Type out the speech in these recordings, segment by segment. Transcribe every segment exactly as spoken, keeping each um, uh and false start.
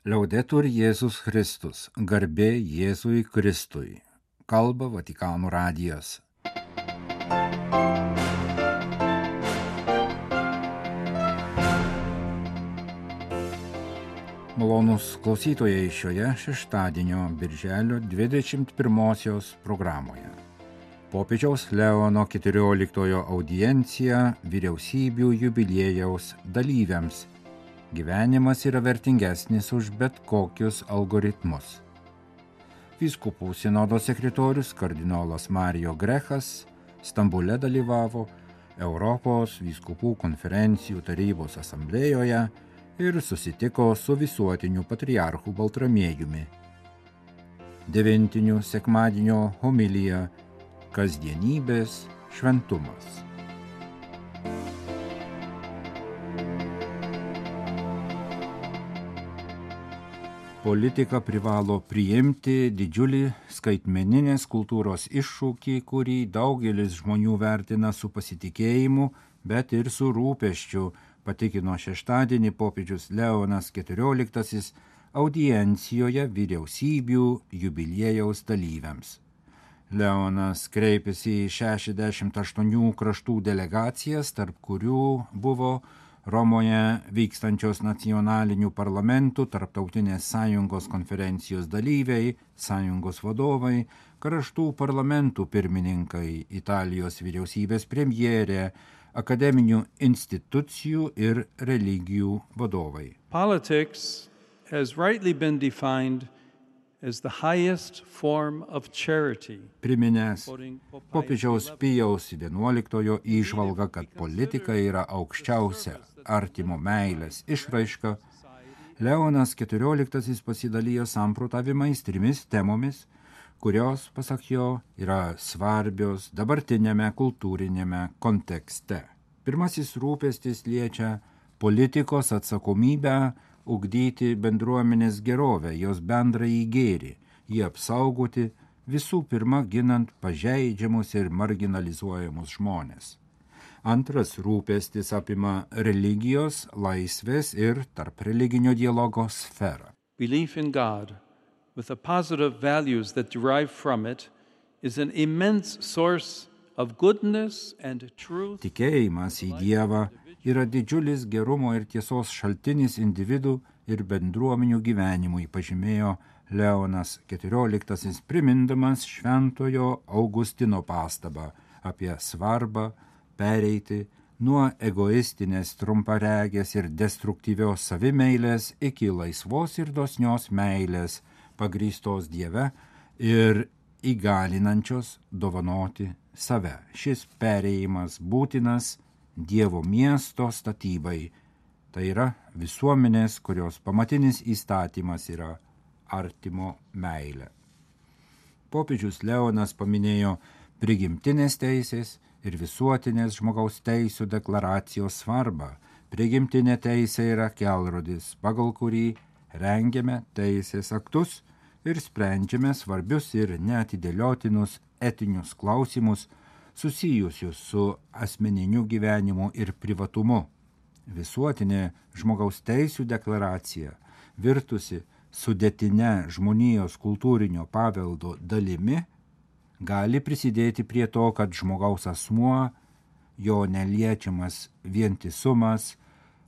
Liaudetur Jėzus Kristus, garbė Jėzui Kristui. Kalba Vatikano radijas. Malonūs klausytojai šioje šeštadienio birželio dvidešimt pirmosios programoje. Popiežiaus Leono keturioliktojo audiencija vyriausybių jubiliejaus dalyviams. Gyvenimas yra vertingesnis už bet kokius algoritmus. Vyskupų sinodo sekretorius kardinolas Mario Grechas Stambule dalyvavo Europos vyskupų konferencijų tarybos asamblėjoje ir susitiko su visuotiniu patriarchu Baltramiejumi. Devintinių sekmadienio homilija Kasdienybės šventumas. Politika privalo priimti didžiulį skaitmeninės kultūros iššūkį, kurį daugelis žmonių vertina su pasitikėjimu, bet ir su rūpesčiu, patikino šeštadienį popiežius Leonas keturioliktasis audiencijoje vyriausybių jubiliejaus dalyviams. Leonas kreipėsi į šešiasdešimt aštuonių kraštų delegacijas, tarp kurių buvo Romoje vykstančios nacionalinių parlamentų tarptautinės sąjungos konferencijos dalyviai, sąjungos vadovai, kraštų parlamentų pirmininkai, Italijos vyriausybės premjerė, akademinių institucijų ir religijų vadovai. Politics has rightly been defined as the highest form of charity. Priminęs popiežiaus Pijaus vienuoliktojo įžvalgą, kad politika yra aukščiausia artimo meilės išraiška, Leonas keturioliktasis pasidalijo samprotavimais trimis temomis, kurios, pasak jo, yra svarbios dabartinėme kultūrinėme kontekste. Pirmasis rūpestis liečia politikos atsakomybę ugdyti bendruomenės gerovę, jos bendrąjį gėrį, jį apsaugoti, visų pirma ginant pažeidžiamus ir marginalizuojamus žmones. Antras rūpestis apima religijos, laisvės ir tarp religinio dialogo sferą. Belief in God, with the positive values that derive from it, is an immense source of goodness and truth. Tikėjimas į Dievą yra didžiulis gerumo ir tiesos šaltinis individų ir bendruomenių gyvenimui, pažymėjo Leonas keturioliktasis, primindamas šventojo Augustino pastabą apie svarbą pereiti nuo egoistinės, trumparegės ir destruktyvios savimeilės iki laisvos ir dosnios meilės, pagrįstos Dieve ir įgalinančios dovanoti save. Šis perėjimas būtinas Dievo miesto statybai, tai yra visuomenės, kurios pamatinis įstatymas yra artimo meilė. Popiežius Leonas paminėjo prigimtinės teisės ir visuotinės žmogaus teisių deklaracijos svarbą. Prigimtinė teisė yra kelrodis, pagal kurį rengiame teisės aktus ir sprendžiame svarbius ir neatidėliotinus etinius klausimus, susijusius su asmeniniu gyvenimu ir privatumu. Visuotinė žmogaus teisių deklaracija, virtusi sudėtine žmonijos kultūrinio paveldo dalimi, gali prisidėti prie to, kad žmogaus asmuo, jo neliečiamas vientisumas,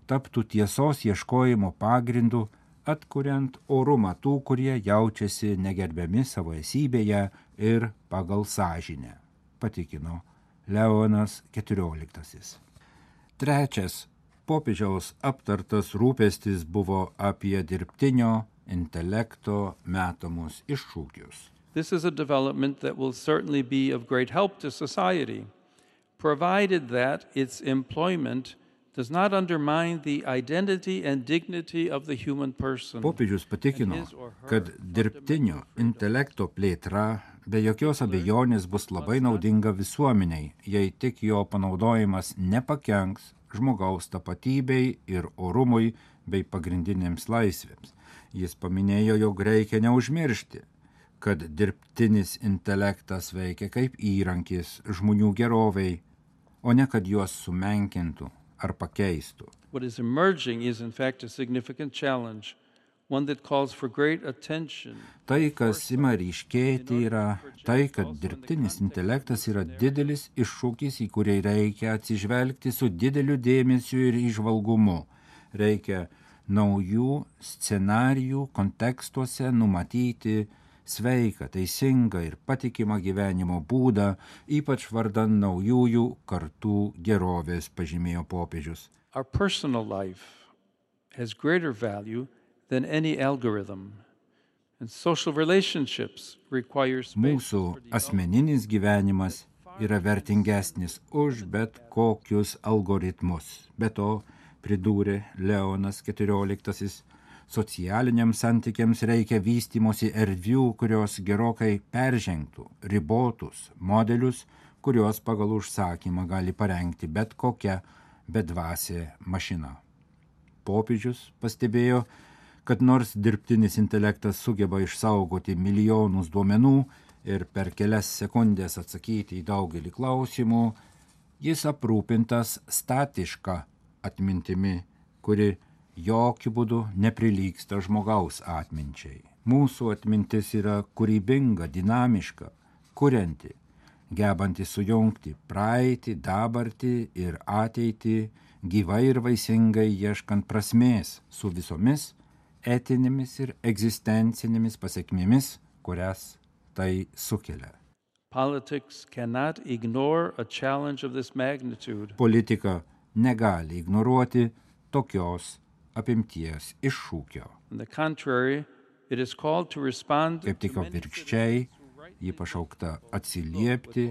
taptų tiesos ieškojimo pagrindu, atkuriant orumą tų, kurie jaučiasi negerbiami savo esybėje ir pagal sąžinę, patikino Leonas keturioliktasis. Trečias popiežiaus aptartas rūpestis buvo apie dirbtinio intelekto metamus iššūkius. This is a development that will certainly be of great help to society, provided that its employment does not undermine the identity and dignity of the human person. Popiežius patikino, kad dirbtinio intelekto plėtra be jokios abejonės bus labai naudinga visuomeniai, jei tik jo panaudojimas nepakenks žmogaus tapatybei ir orumui bei pagrindinėms laisvėms. Jis paminėjo, jog reikia neužmiršti, kad dirbtinis intelektas veikia kaip įrankis žmonių geroviai, o ne kad juos sumenkintų ar pakeistų. What is emerging is in fact a significant challenge one that calls for great attention. Tai, kas ima ryškėti, yra tai, kad dirbtinis intelektas yra didelis iššūkis, į kurį reikia atsižvelgti su dideliu dėmesiu ir įžvalgumu. Reikia naujų scenarijų kontekstuose numatyti sveiką, teisingą ir patikimą gyvenimo būdą, ypač vardan naujųjų kartų gerovės, pažymėjo popiežius. Our personal life has greater value than any algorithm, and social relationships require space. Mūsų asmeninis gyvenimas yra vertingesnis už bet kokius algoritmus. Be to, pridūrė Leonas keturioliktasis, socialiniams santykiams reikia vystymosi erdvių, kurios gerokai peržengtų ribotus modelius, kuriuos pagal užsakymą gali parengti bet kokia bedvasė mašina. Popiežius pastebėjo, kad nors dirbtinis intelektas sugeba išsaugoti milijonus duomenų ir per kelias sekundės atsakyti į daugelį klausimų, jis aprūpintas statiška atmintimi, kuri jokių būdų neprilygsta žmogaus atminčiai. Mūsų atmintis yra kūrybinga, dinamiška, kurianti, gebanti sujungti praeitį, dabartį ir ateitį, gyvai ir vaisingai ieškant prasmės su visomis etinėmis ir egzistencinėmis pasekmėmis, kurias tai sukelia. Politics cannot ignore a challenge of this magnitude. Politika negali ignoruoti tokios apimties iššūkio. On the contrary, it is called to respond Kaip tik to many atvirkščiai, ji pašaukta atsiliepti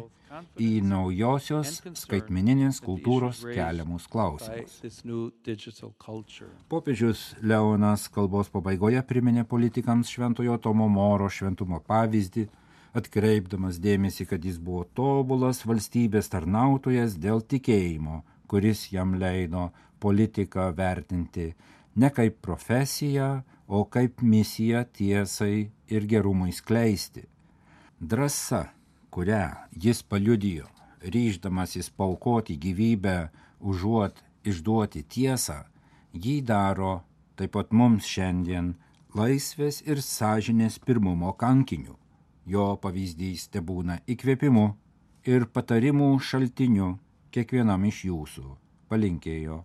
į naujosios skaitmeninės kultūros keliamus by klausimus. this new digital culture. Popiežius Leonas kalbos pabaigoje priminė politikams Šventojo Tomo Moro šventumo pavyzdį, atkreipdamas dėmesį, kad jis buvo tobulas valstybės tarnautojas dėl tikėjimo, kuris jam leido politiką vertinti ne kaip profesiją, o kaip misiją tiesai ir gerumui skleisti. Drąsa, kurią jis paliudijo, ryždamasis paaukoti gyvybę, užuot išduoti tiesą, jį daro taip pat mums šiandien laisvės ir sąžinės pirmumo kankiniu. Jo pavyzdys tebūna įkvėpimu ir patarimų šaltiniu kiekvienam iš jūsų, palinkėjo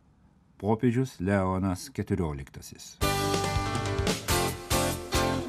popiežius Leonas keturioliktasis.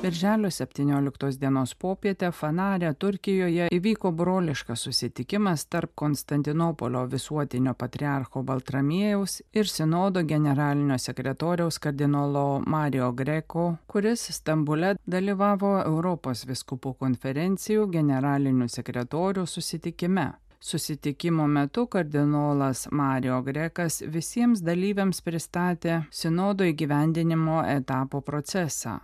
Birželio septynioliktos dienos popietę Fanare, Turkijoje įvyko broliškas susitikimas tarp Konstantinopolio visuotinio patriarcho Baltramiejaus ir sinodo generalinio sekretoriaus kardinolo Mario Greco, kuris Stambule dalyvavo Europos vyskupų konferencijų generalinių sekretorių susitikime. Susitikimo metu kardinolas Mario Grecas visiems dalyviams pristatė sinodo įgyvendinimo etapo procesą.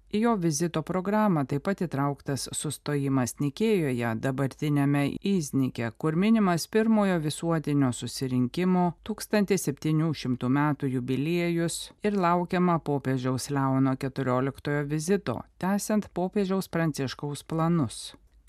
Į jo vizito programą taip pat įtrauktas sustojimas Nikėjoje, dabartinėme Iznike, kur minimas pirmojo visuotinio susirinkimo tūkstantis septyni šimtai metų jubiliejus ir laukiama popiežiaus Leono keturioliktojo vizito, tęsiant popiežiaus Pranciškaus planus.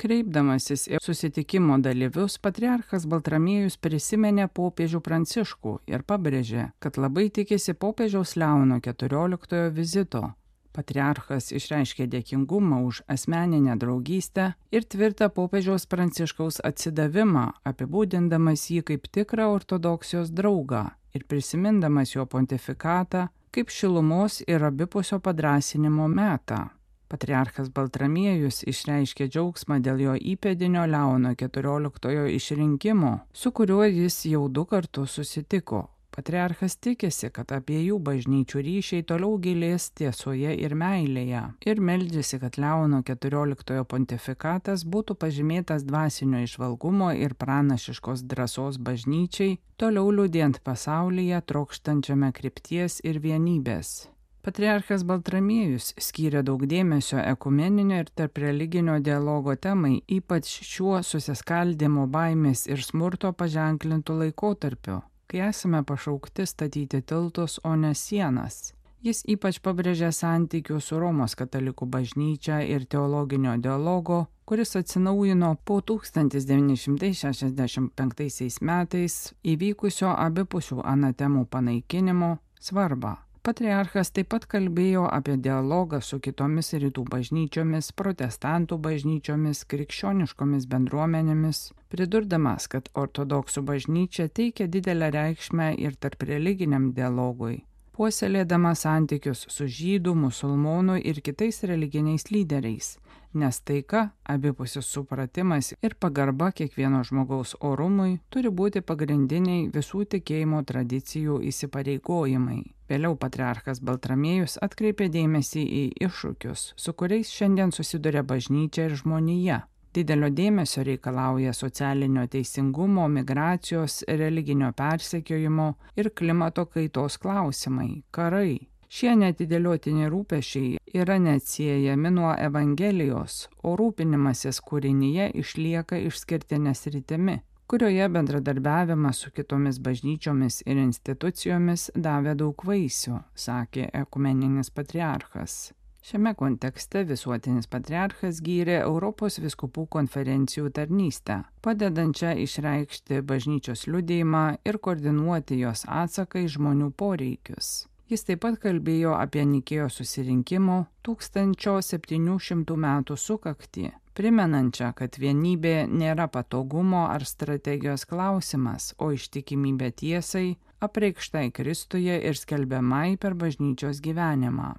Kreipdamasis į susitikimo dalyvius, patriarchas Baltramiejus prisiminė popiežių Pranciškų ir pabrėžė, kad labai tikisi popiežiaus Leono keturioliktojo vizito. Patriarchas išreiškė dėkingumą už asmeninę draugystę ir tvirtą popiežiaus Pranciškaus atsidavimą, apibūdindamas jį kaip tikrą ortodoksijos draugą ir prisimindamas jo pontifikatą kaip šilumos ir abipusio padrąsinimo metą. Patriarchas Baltramiejus išreiškė džiaugsmą dėl jo įpėdinio Leono keturioliktojo išrinkimo, su kuriuo jis jau du kartus susitiko. Patriarchas tikisi, kad abiejų bažnyčių ryšiai toliau gilės tiesoje ir meilėje ir meldžiasi, kad Leono keturioliktojo pontifikatas būtų pažymėtas dvasinio įžvalgumo ir pranašiškos drąsos bažnyčiai, toliau liudijant pasaulyje trokštančiame krypties ir vienybės. Patriarchas Baltramiejus skyrė daug dėmesio ekumeninio ir tarp religinio dialogo temai, ypač šiuo susiskaldimo baimės ir smurto paženklintų laikotarpiu, kai esame pašaukti statyti tiltus, o ne sienas. Jis ypač pabrėžė santykių su Romos katalikų bažnyčia ir teologinio dialogo, kuris atsinaujino po tūkstantis devyni šimtai šešiasdešimt penktaisiais metais įvykusio abipusių anatemų panaikinimo svarbą. Patriarchas taip pat kalbėjo apie dialogą su kitomis rytų bažnyčiomis, protestantų bažnyčiomis, krikščioniškomis bendruomenėmis, pridurdamas, kad ortodoksų bažnyčia teikia didelę reikšmę ir tarp religiniam dialogui, puoselėdama santykius su žydų, musulmonų ir kitais religiniais lyderiais, nes taika, abipusis supratimas ir pagarba kiekvieno žmogaus orumui turi būti pagrindiniai visų tikėjimo tradicijų įsipareigojimai. Vėliau patriarchas Baltramiejus atkreipė dėmesį į iššūkius, su kuriais šiandien susiduria bažnyčia ir žmonija. Didelio dėmesio reikalauja socialinio teisingumo, migracijos, religinio persekiojimo ir klimato kaitos klausimai, karai. Šie neatidėliotini rūpesčiai yra neatsiejami nuo Evangelijos, o rūpinimasis kūrinyje išlieka išskirtinė sritimi, kurioje bendradarbiavimas su kitomis bažnyčiomis ir institucijomis davė daug vaisių, sakė ekumeninis patriarchas. Šiame kontekste visuotinis patriarchas gyrė Europos vyskupų konferencijų tarnystę, padedančią išreikšti bažnyčios liudijimą ir koordinuoti jos atsaką į žmonių poreikius. Jis taip pat kalbėjo apie Nikėjos susirinkimo tūkstančio septynių šimtų metų sukaktį, primenančią, kad vienybė nėra patogumo ar strategijos klausimas, o ištikimybė tiesai, apreikštai Kristuje ir skelbiamai per bažnyčios gyvenimą.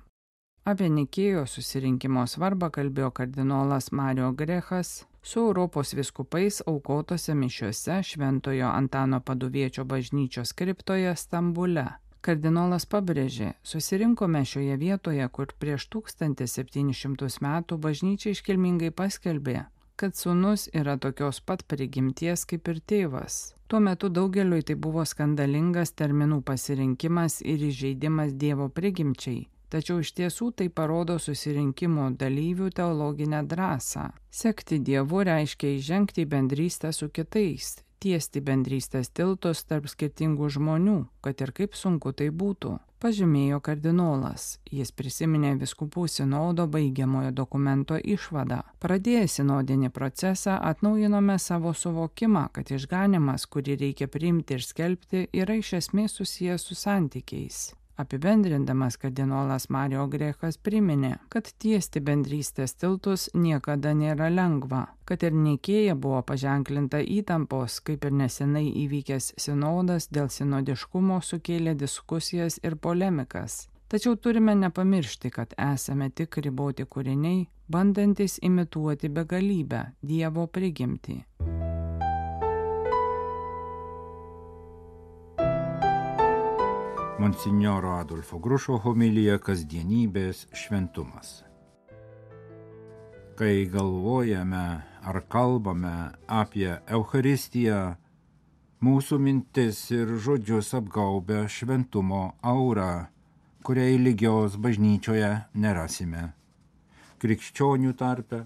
Apie Nikėjos susirinkimo svarbą kalbėjo kardinolas Mario Grechas su Europos vyskupais aukotose mišiose Šventojo Antano Paduviečio bažnyčios kriptoje Stambule. Kardinolas pabrėžė, susirinkome šioje vietoje, kur prieš tūkstantis septynis šimtus metų bažnyčia iškilmingai paskelbė, kad sūnus yra tokios pat prigimties kaip ir tėvas. Tuo metu daugeliui tai buvo skandalingas terminų pasirinkimas ir įžeidimas Dievo prigimčiai, tačiau iš tiesų tai parodo susirinkimo dalyvių teologinę drąsą. Sekti Dievu reiškia įžengti į bendrystę su kitais, tiesti bendrystės tiltus tarp skirtingų žmonių, kad ir kaip sunku tai būtų, pažymėjo kardinolas. Jis prisiminė vyskupų sinodo baigiamojo dokumento išvadą. Pradėję sinodinį procesą atnaujinome savo suvokimą, kad išganimas, kurį reikia priimti ir skelbti, yra iš esmės susijęs su santykiais. Apibendrindamas kardinolas Mario Grechas priminė, kad tiesti bendrystės tiltus niekada nėra lengva, kad ir Nikėja buvo paženklinta įtampos, kaip ir nesenai įvykęs sinodas dėl sinodiškumo sukėlė diskusijas ir polemikas. Tačiau turime nepamiršti, kad esame tik riboti kūriniai, bandantis imituoti begalybę, Dievo prigimtį. Monsinjoro Adolfo Grušo homilija Kasdienybės šventumas. Kai galvojame ar kalbame apie Eucharistiją, mūsų mintis ir žodžius apgaubia šventumo aura, kuriai lygios bažnyčioje nerasime. Krikščionių tarpe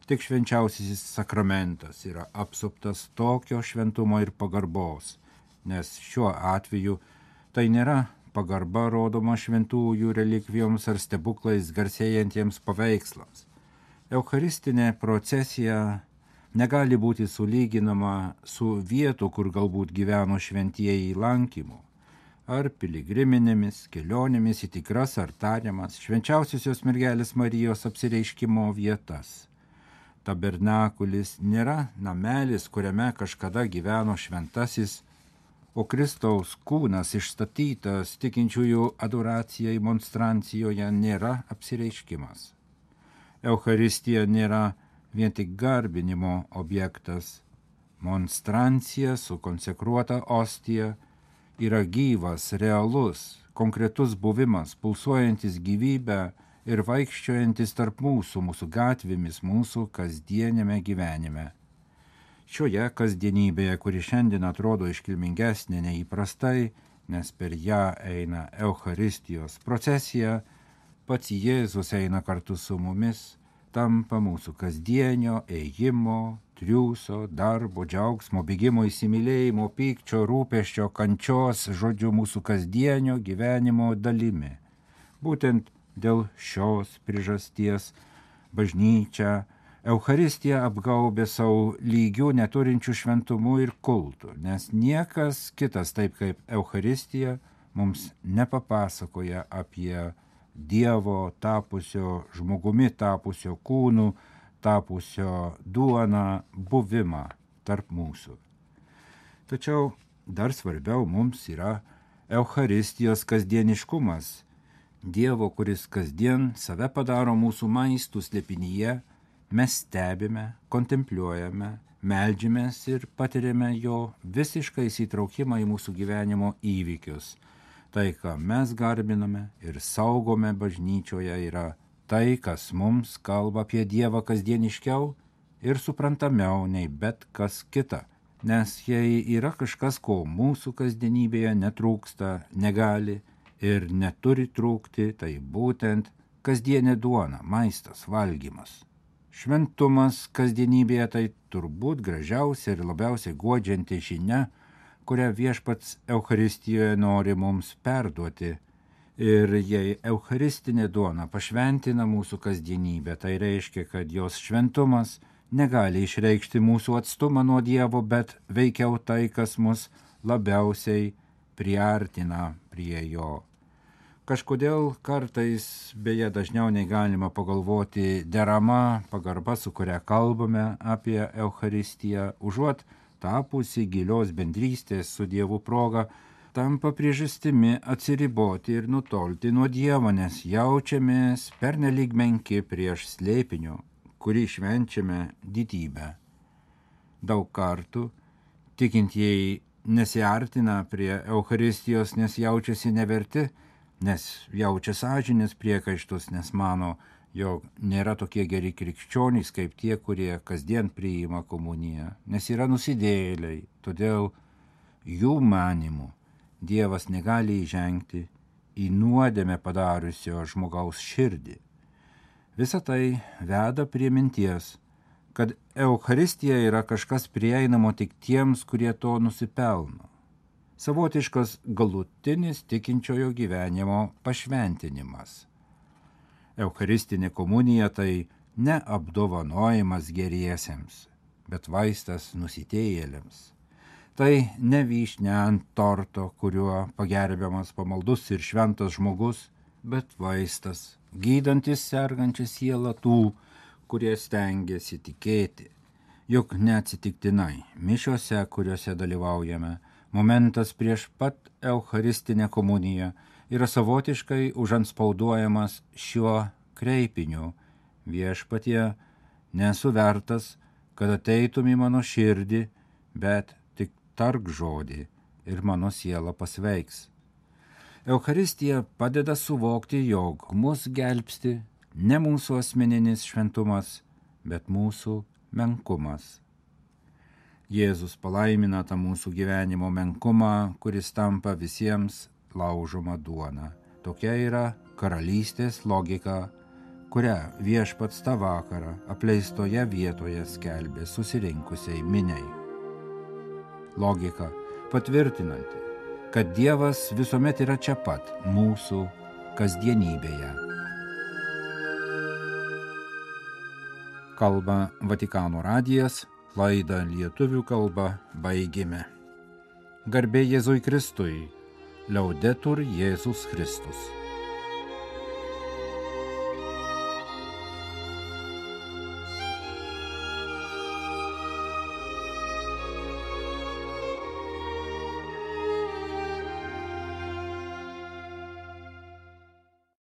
tik švenčiausiasis sakramentas yra apsuptas tokio šventumo ir pagarbos, nes šiuo atveju tai nėra pagarba rodoma šventųjų relikvijoms ar stebuklais garsėjantiems paveikslams. Eucharistinė procesija negali būti sulyginama su vietų, kur galbūt gyveno šventieji lankymu, ar piligriminėmis kelionėmis į tikras ar tariamas švenčiausiosios mergelės Marijos apsireiškimo vietas. Tabernakulis nėra namelis, kuriame kažkada gyveno šventasis, o Kristaus kūnas išstatytas tikinčiųjų adoracijai monstrancijoje nėra apsireiškimas. Eucharistija nėra vien tik garbinimo objektas. Monstrancija su konsekruota ostija yra gyvas, realus, konkretus buvimas, pulsuojantis gyvybę ir vaikščiojantis tarp mūsų, mūsų gatvėmis, mūsų kasdienėme gyvenime. Šioje kasdienybėje, kuri šiandien atrodo iškilmingesnė neįprastai, nes per ją eina Eucharistijos procesija, pats Jėzus eina kartu su mumis, tampa mūsų kasdienio ėjimo, triūso, darbo, džiaugsmo, bėgimo, įsimylėjimo, pykčio, rūpesčio, kančios, žodžiu, mūsų kasdienio gyvenimo dalimi. Būtent dėl šios priežasties bažnyčia Eucharistiją apgaubė savo lygių neturinčių šventumų ir kultų, nes niekas kitas taip kaip Eucharistija mums nepapasakoja apie Dievo tapusio žmogumi, tapusio kūnu, tapusio duona buvimą tarp mūsų. Tačiau dar svarbiau mums yra Eucharistijos kasdieniškumas. Dievo, kuris kasdien save padaro mūsų maistų slėpinyje, mes stebime, kontempliuojame, meldžiamės ir patiriame jo visišką įsitraukimą į mūsų gyvenimo įvykius. Tai, ką mes garbiname ir saugome bažnyčioje, yra tai, kas mums kalba apie Dievą kasdieniškiau ir suprantamiau nei bet kas kita. Nes jei yra kažkas, ko mūsų kasdienybėje netrūksta, negali ir neturi trūkti, tai būtent kasdienė duona, maistas, valgymas. Šventumas kasdienybėje tai turbūt gražiausia ir labiausiai guodžianti žinia, kurią viešpats Eucharistijoje nori mums perduoti. Ir jei eucharistinė duona pašventina mūsų kasdienybę, tai reiškia, kad jos šventumas negali išreikšti mūsų atstumą nuo Dievo, bet veikiau tai, kas mus labiausiai priartina prie jo. Kažkodėl kartais, beje dažniau nei galima pagalvoti, derama pagarba, su kuria kalbame apie Eucharistiją, užuot tapusi gilios bendrystės su Dievu proga, tampa priežastimi atsiriboti ir nutolti nuo Dievo, nes jaučiamės pernelyg menki prieš slėpinio, kurį švenčiame didybę. Daug kartų tikintieji nesiartina prie Eucharistijos, nes jaučiasi neverti, nes jaučia sąžinės priekaištus, nes mano, jog nėra tokie geri krikščionys kaip tie, kurie kasdien priima komuniją, nes yra nusidėjėliai, todėl jų manimu Dievas negali įžengti į nuodėmę padariusio žmogaus širdį. Visa tai veda prie minties, kad Eucharistija yra kažkas prieinamo tik tiems, kurie to nusipelno. Savotiškas galutinis tikinčiojo gyvenimo pašventinimas. Eucharistinė komunija tai ne apdovanojimas geriesiems, bet vaistas nusitėjėliams. Tai ne vyšnia ant torto, kuriuo pagerbiamas pamaldus ir šventas žmogus, bet vaistas, gydantis sergančią sielą tų, kurie stengiasi tikėti. Juk neatsitiktinai mišiose, kuriuose dalyvaujame, momentas prieš pat Eucharistinę komuniją yra savotiškai užantspauduojamas šiuo kreipiniu: viešpatie, nesu vertas, kad ateitum į mano širdį, bet tik tark žodį ir mano siela pasveiks. Eucharistija padeda suvokti, jog mus gelbsti ne mūsų asmeninis šventumas, bet mūsų menkumas. Jėzus palaimina tą mūsų gyvenimo menkumą, kuris tampa visiems laužoma duona. Tokia yra karalystės logika, kurią viešpats tą vakarą apleistoje vietoje skelbė susirinkusiai miniai. Logika patvirtinanti, kad Dievas visuomet yra čia pat mūsų kasdienybėje. Kalba Vatikano radijas, laidą lietuvių kalba baigėme. Garbė Jėzui Kristui, Liaudetur Jėzus Kristus.